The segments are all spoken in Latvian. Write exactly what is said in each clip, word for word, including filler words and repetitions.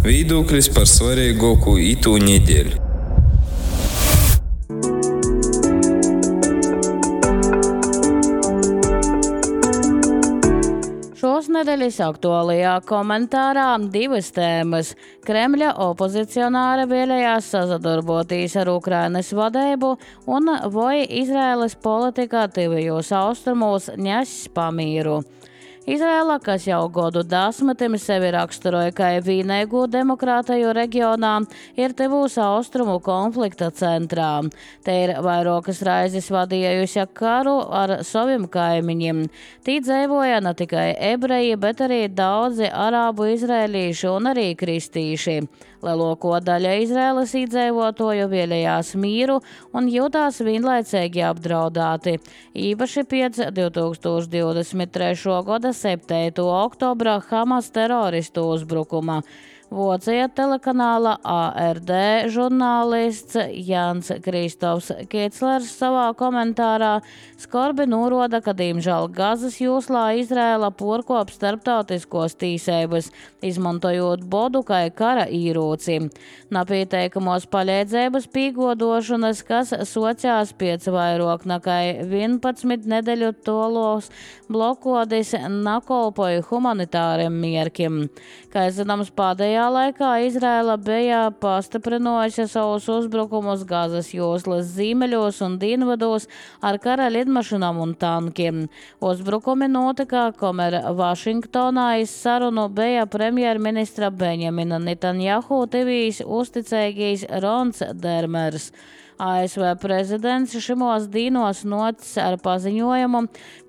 Viedoklis par svarīgāko itū nedēļu. Šos nedēļas aktuālajā komentārā divas tēmas. Kremļa opozicionāri vēlējās sadarboties ar Ukrainas vadību un vai Izraēlas politika tuvajos austrumos nes pamieru. Izraela, kas jau godu desmitiem sevi raksturoja kā vienīgo demokrātiju reģionā, ir tuvūs austrumu konflikta centrā. Te ir vairākas raizes vadījusi karu ar saviem kaimiņiem. Tī dzīvoja ne tikai ebreji, bet arī daudzi arābu izrēlīši un arī kristīši. Lielāko daļa Izraēlas iedzīvotāju vēlējās mīru un jutās vienlaicīgi apdraudēti. Īpaši pēc divi tūkstoši divdesmit trešā gada septītā oktobra Hamas teroristu uzbrukuma. Vācija telekanāla A R D žurnālists Jānis Kristofs Kīclers savā komentārā skarbi norāda, ka, diemžēl, Gazas joslā Izraēla porkop starptautiskos tīsības, izmantojot bodu kā kara īrūci. Napīteikamos palīdzības pīgodošanas, kas sociās pēc vairāk nekā vienpadsmit nedēļu tolos blokodis, nakolpoja humanitāriem mierkiem. Kā zināms, pēdējā laikā Izraēla bija pastiprinājusi savus uzbrukumus Gazas joslas ziemeļos un dienvados ar kara lidmašīnām un tankiem. Uzbrukumi notika, kamēr Vašingtonā iz sarunu bija premjerministra Benjamina Netanjahu tuvīs uzticīgais Rons Dermers. A S V prezidents šimos dīnos nocis ar paziņojumu,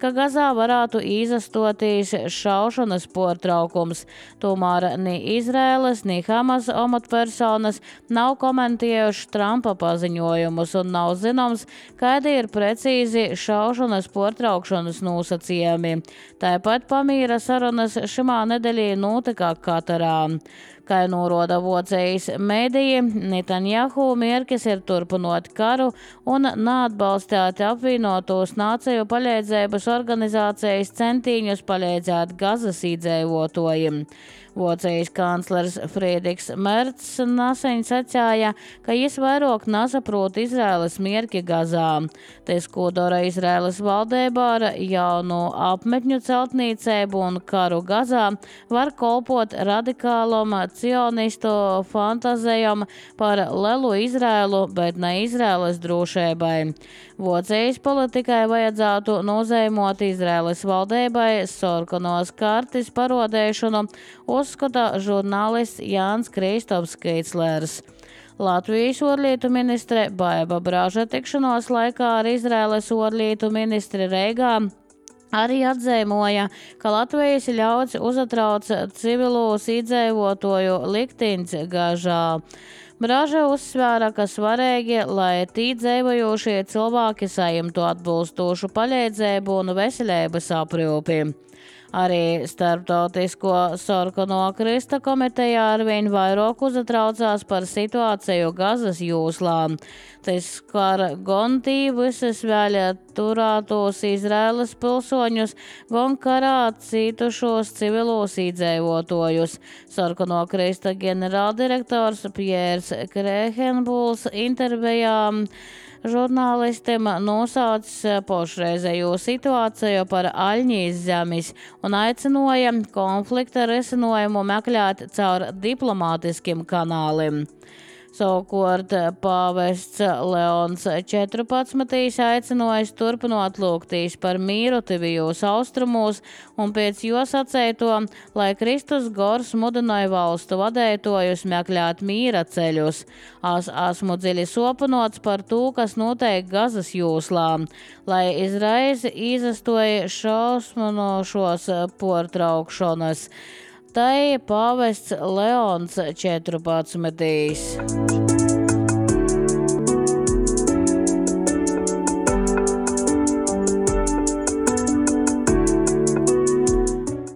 ka Gazā varētu izastoties šaušanas pārtraukums. Tomēr ni Izraēlas, ni Hamas amatpersonas nav komentējuši Trumpa paziņojumus un nav zināms, kādi ir precīzi šaušanas pārtraukšanas nosacījumi. Tāpat pamīra sarunas šimā nedēļā notika Katarā. Kā norāda Vācijas mediji, Netanjahu mērķis ir turpinot karu un neatbalstīt apvienotos nāciju palīdzības organizācijas centīņus palīdzēt Gazas iedzīvotājiem. Vācijas kanclers Friedrichs Mercs nesen sacīja, ka viņš vairāk nesaprot Izraēlas mierki Gazā. Tas, ko dara Izraēlas valdība ar jaunu apmetņu celtniecību un karu Gazā, var kalpot radikālam cionistu fantazijam par lielu Izraēlu, bet ne Izraēlas drošībai. Vācijas politikai vajadzētu nozīmot Izraēlas valdībai sarkanos kartes parodēšanu, uzskata žurnālists Jānis Kristofs Kīclers. Latvijas ārlietu ministre Baiba Braža tikšanos laikā ar Izraēlas ārlietu ministri Reigā arī atzīmoja, ka Latvijas ļauds uzatrauc civilos iedzīvotāju likteņus Gazā. Braža uzsvēra, ka svarīgi, lai tī dzīvojošie cilvēki saņemtu atbilstošu palīdzību un veselības aprūpi. Arī Starptautisko sarkano krista komitejā arvien vairāk uzatraucās par situāciju Gazas joslā. Tas skar gan tī visas vēl turētos Izraēlas pilsoņus, gan karā cītušos civilos iedzīvotājus. Sarkano krista ģenerāldirektors Pjērs Krehenbuls intervijā žurnālistiem nosauca pašreizējo situāciju par Aļņijas zemes un aicināja konflikta risinājumu meklēt caur diplomātiskiem kanāliem. Savukārt pāvests Leons četrpadsmitais aicinājis turpinot lūgtīs par mīru tuvijos austrumos un pēc jo sacēto, lai Kristus gors mudināja valstu vadētojus meklēt mīra ceļus. Es esmu dziļi sopanots par to, kas notiek Gazas joslā, lai izreiz izastoja šausminošos pārtraukšanas. Tai pāvests Leons četrpadsmitais.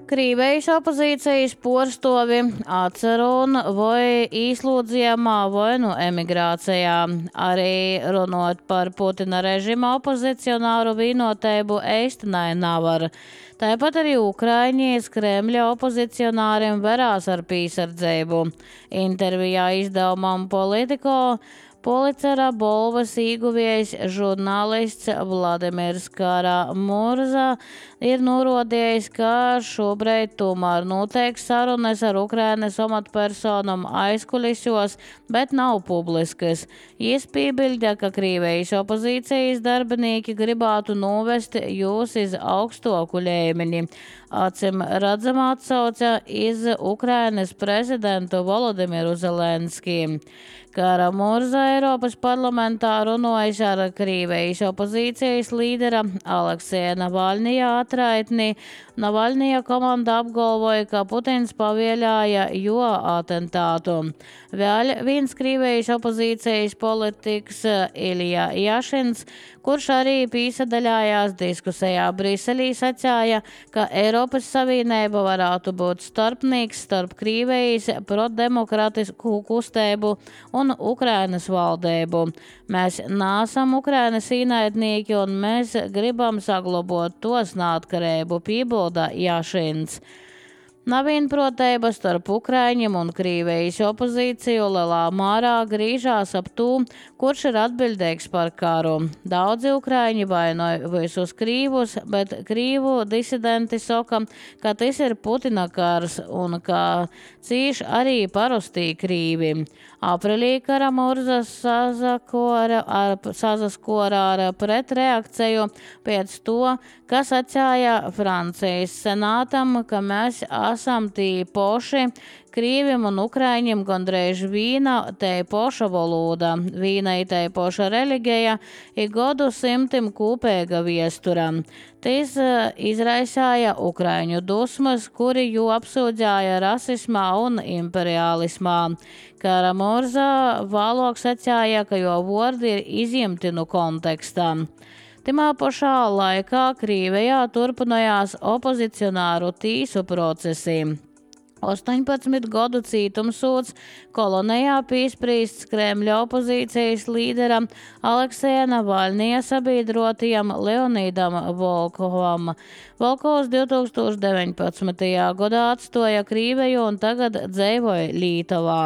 Krīvejas opozīcijas porstovi atcerun vai īslūdzījumā vai nu emigrācijā. Arī runot par Putina režima opozicionāru vīnoteibu eistanai navar. Tāpat arī Ukraiņas Kremļa opozicionāriem verās ar pīsardzību. Intervijā izdevumam Politico Pulicera balvas ieguvējs žurnālists Vladimirs Karamurza ir norādījis, ka šobrīd tomēr notiek sarunas ar Ukrainas amatpersonām aizkulisos, bet nav publiskas. Jis piebilda, ka Krīvejas opozīcijas darbinieki gribētu novest jūs iz augstoku līmeni. Acim redzamā atsauca iz Ukrainas prezidentu Volodimiru Zelenskiju. Karamurza Eiropas parlamentā runājis ar Krīvejas opozīcijas līdera Aleksēja Navalnija atraitni. Navalnija komanda apgalvoja, ka Putins pavieļāja jo atentātu. Vēl viens Krīvejas opozīcijas politikas Ilija Jašins, kurš arī pīsadaļājās diskusijā Briselī, sacīja, ka Eiropas Savienība varētu būt starpnieks starp Krīvejas prodemokratisku kustību un Ukrainas valdību. Mēs nāsam Ukrainas īnaidnieki un mēs gribam saglabot tos neatkarību, piebilda Jašins. Nav vienprātība starp Ukraiņiem un Krīvejas opozīciju lielā mērā grīžās ap to, kurš ir atbildīgs par karu. Daudzi Ukraiņi vainoja visus krīvus, bet krīvu disidenti saka, ka tas ir Putina kars un ka cīš arī parastī krīvi. Aprīlī Karamurza sazaskora ar, sazaskora ar pretreakciju pēc to, kas atsāja Francijas senātam, ka mēs esam tī poši, krīvim un ukraiņiem gandrīz vīna tei poša valoda, vīna i tei poša religija i godu simtim kūpēga viestura. Tis izraisāja ukraiņu dusmas, kuri jū apsūdzāja rasismā un imperialismā. Karamurza vēlāk sacīja, ka jo vordi ir izņemti no kontekstā. Timā pašā laikā Krīvejā turpinājās opozicionāru tīsu procesi. astoņpadsmit gadu cītumsūds kolonijā piespriests Kremļa opozīcijas līderam Aleksēja Navalnija sabiedrotajam Leonīdam Volkovam. Volkovs divtūkstoš deviņpadsmitajā gadā atstoja Krīveju un tagad dzīvoja Lītavā.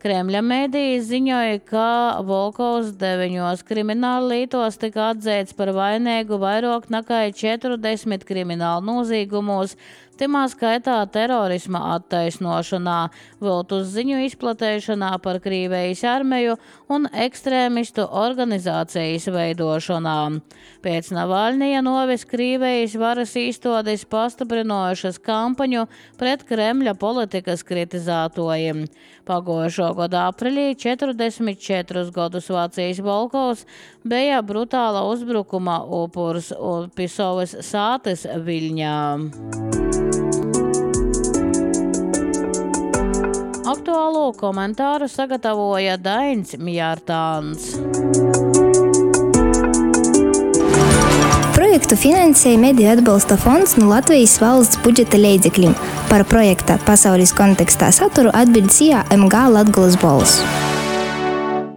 Kremļa mēdīji ziņoja, ka Volkovs deviņos krimināla lītos tika atzīts par vainīgu vairāk nekā četrdesmit kriminālu nozīgumos, timā skaitā terorisma attaisnošanā, viltus ziņu izplatēšanā par Krīvejas armiju un ekstrēmistu organizācijas veidošanā. Pēc Navalnija novis Krīvejas varas īstotis pastiprinojušas kampaņu pret Kremļa politikas kritizētojiem. Pagojušo gadu aprīlī četrdesmit četrus gadus vecais Volkovs bija brutāla uzbrukuma upurs un Pisovas sātes Viļņā. Aktuālo komentāru sagatavoja Dainis Mjārtāns. Projektu finansēja Mediju atbalsta fonds no Latvijas valsts budžeta līdzekļiem. Par projekta pasaules kontekstā saturu atbild C I A M G Latgolas balss.